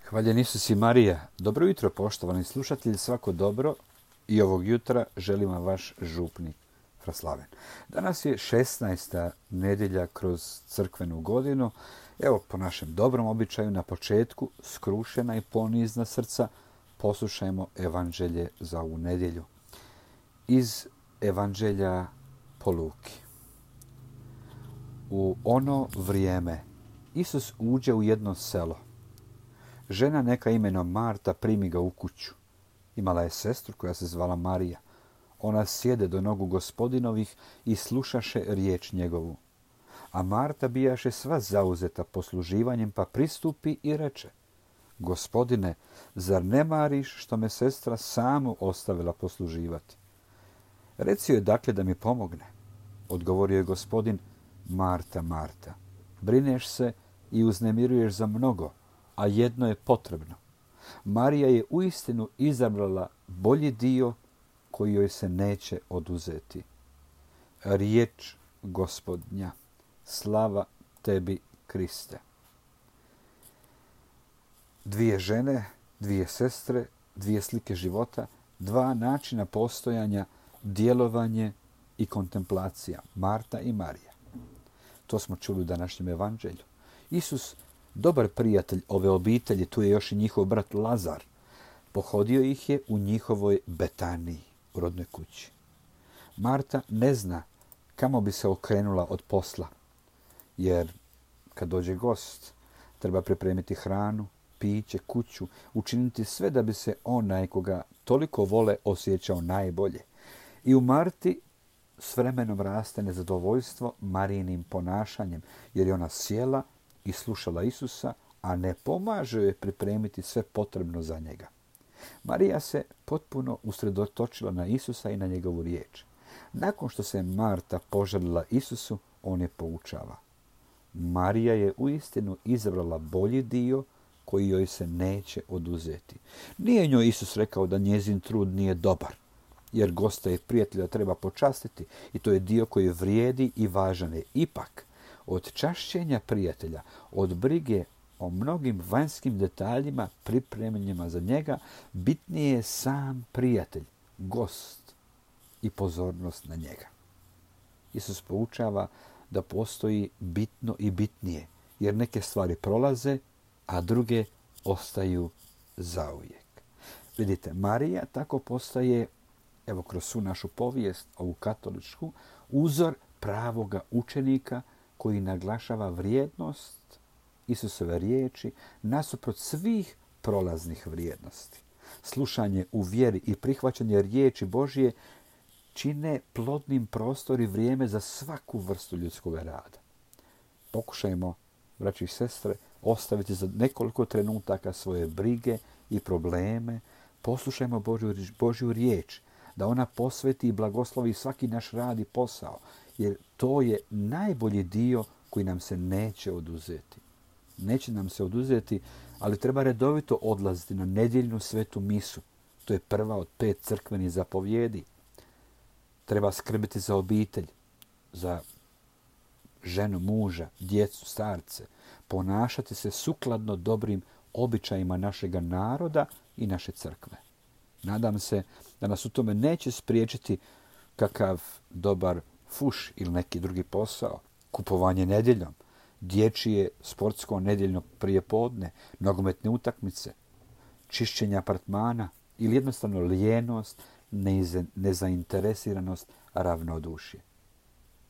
Hvaljen Isus i Marija. Dobro jutro, poštovani slušatelji, svako dobro i ovog jutra želim vam vaš župnik Fraslaven. Danas je 16. nedjelja kroz crkvenu godinu. Evo, po našem dobrom običaju, na početku, skrušena i ponizna srca, poslušajmo evanđelje za ovu nedjelju. Iz evanđelja po Luki. U ono vrijeme Isus uđe u jedno selo. Žena neka imenom Marta primi ga u kuću. Imala je sestru koja se zvala Marija. Ona sjede do nogu Gospodinovih i slušaše riječ njegovu. A Marta bijaše sva zauzeta posluživanjem, pa pristupi i reče: Gospodine, zar ne mariš što me sestra samu ostavila posluživati? Reci joj dakle da mi pomogne. Odgovorio je Gospodin: Marta, Marta, brineš se i uznemiruješ za mnogo, a jedno je potrebno. Marija je uistinu izabrala bolji dio koji joj se neće oduzeti. Riječ Gospodnja. Slava tebi, Kriste. Dvije žene, dvije sestre, dvije slike života, dva načina postojanja, djelovanje i kontemplacija. Marta i Marija. To smo čuli u današnjem evanđelju. Isus, dobar prijatelj ove obitelji, tu je još i njihov brat Lazar, pohodio ih je u njihovoj Betaniji, u rodnoj kući. Marta ne zna kamo bi se okrenula od posla, jer kad dođe gost, treba pripremiti hranu, piće, kuću, učiniti sve da bi se onaj koga toliko vole osjećao najbolje. I u Marti s vremenom raste nezadovoljstvo Marijinim ponašanjem, jer je ona sjela i slušala Isusa, a ne pomaže joj pripremiti sve potrebno za njega. Marija se potpuno usredotočila na Isusa i na njegovu riječ. Nakon što se Marta požalila Isusu, on je poučava. Marija je uistinu izabrala bolji dio koji joj se neće oduzeti. Nije njoj Isus rekao da njezin trud nije dobar, jer gosta i prijatelja treba počastiti i to je dio koji vrijedi i važan je. Ipak, od čašćenja prijatelja, od brige o mnogim vanjskim detaljima pripremljenima za njega, bitnije je sam prijatelj, gost i pozornost na njega. Isus poučava da postoji bitno i bitnije, jer neke stvari prolaze, a druge ostaju zauvijek. Vidite, Marija tako postaje, evo kroz svu našu povijest, ovu katoličku, uzor pravoga učenika koji naglašava vrijednost Isusove riječi nasuprot svih prolaznih vrijednosti. Slušanje u vjeri i prihvaćanje riječi Božje čine plodnim prostor i vrijeme za svaku vrstu ljudskog rada. Pokušajmo, braći i sestre, ostaviti za nekoliko trenutaka svoje brige i probleme. Poslušajmo Božju riječ, da ona posveti i blagoslovi svaki naš rad i posao, jer to je najbolji dio koji nam se neće oduzeti. Neće nam se oduzeti, ali treba redovito odlaziti na nedjeljnu svetu misu. To je prva od 5 crkvenih zapovjedi. Treba skrbiti za obitelj, za ženu, muža, djecu, starce. Ponašati se sukladno dobrim običajima našega naroda i naše crkve. Nadam se da nas u tome neće spriječiti kakav dobar fuš ili neki drugi posao, kupovanje nedjeljom, dječje sportsko nedjeljno prijepodne, nogometne utakmice, čišćenje apartmana ili jednostavno lijenost, nezainteresiranost, ravnodušje.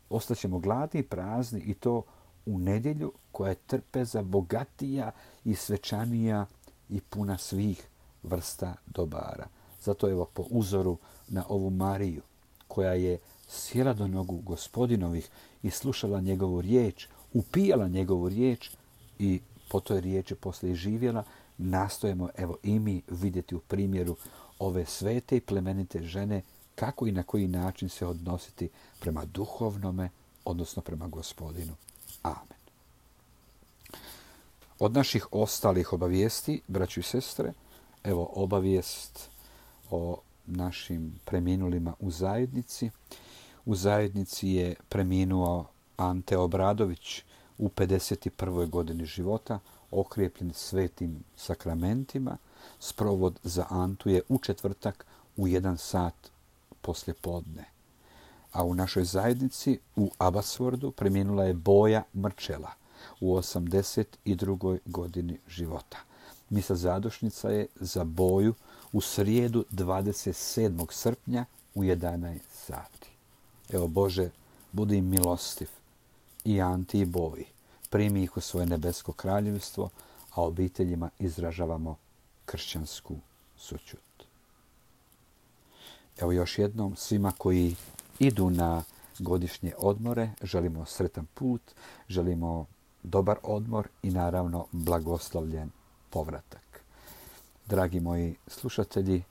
Ostaćemo gladni i prazni i to u nedjelju koja je trpeza bogatija i svečanija i puna svih vrsta dobara. Zato evo po uzoru na ovu Mariju koja je sjela do nogu Gospodinovih i slušala njegovu riječ, upijala njegovu riječ i po toj riječi poslije i živjela, nastojimo evo i mi vidjeti u primjeru ove svete i plemenite žene kako i na koji način se odnositi prema duhovnome, odnosno prema Gospodinu. Amen. Od naših ostalih obavijesti, braćo i sestre, evo obavijest o našim preminulima u zajednici. U zajednici je preminuo Ante Obradović u 51. godini života. okrijepljen svetim sakramentima. Sprovod za Antu je u četvrtak u 1 sat poslje podne. A u našoj zajednici u Abbotsfordu preminula je Boja Mrčela u 82. godini života. Misa zadušnica je za Boju u srijedu 27. srpnja u 11 sati. Evo Bože, budi im milostiv i Anti i Boji. Primi ih u svoje nebesko kraljevstvo, a obiteljima izražavamo kršćansku sućut. Evo još jednom svima koji idu na godišnje odmore, želimo sretan put, želimo dobar odmor i naravno blagoslovljen povratak. Dragi moji slušatelji,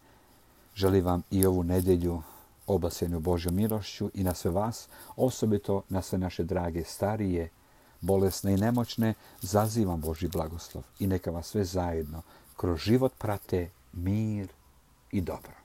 želim vam i ovu nedjelju obasjenu Božjom milošću i na sve vas, osobito na sve naše drage starije, bolesne i nemoćne, zazivam Božji blagoslov i neka vas sve zajedno kroz život prate mir i dobro.